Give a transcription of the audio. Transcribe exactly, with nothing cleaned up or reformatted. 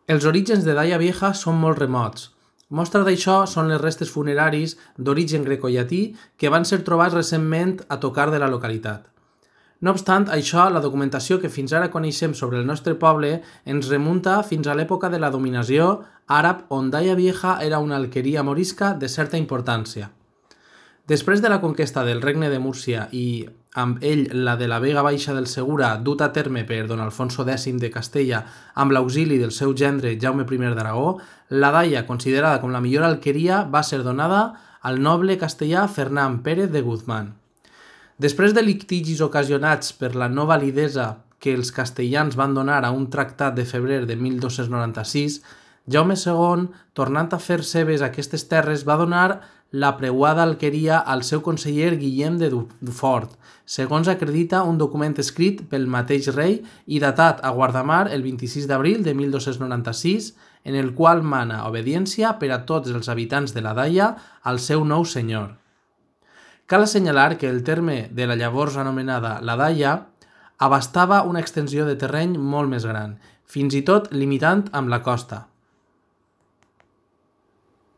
Els orígens de Daia Vieja són molt remots. Mostra d'això són les restes funeraris d'origen grecollatí que van ser trobats recentment a tocar de la localitat. No obstant això, la documentació que fins ara coneixem sobre el nostre poble ens remunta fins a l'època de la dominació àrab, on Daia Vieja era una alqueria morisca de certa importància. Després de la conquesta del regne de Múrcia i, amb ell, la de la Vega Baixa del Segura, dut a terme per don Alfonso X de Castella amb l'auxili del seu gendre Jaume I d'Aragó, la Daia, considerada com la millor alqueria, va ser donada al noble castellà Fernán Pérez de Guzmán. Després de litigis ocasionats per la no validesa que els castellans van donar a un tractat de febrer de mil dos-cents noranta-sis, Jaume segon, tornant a fer seves aquestes terres, va donar la preuada alqueria al seu conseller Guillem de Dufort, segons acredita un document escrit pel mateix rei i datat a Guardamar el vint-i-sis d'abril de mil dos-cents noranta-sis, en el qual mana obediència per a tots els habitants de la Daia al seu nou senyor. Cal assenyalar que el terme de la llavors anomenada la Daia abastava una extensió de terreny molt més gran, fins i tot limitant amb la costa.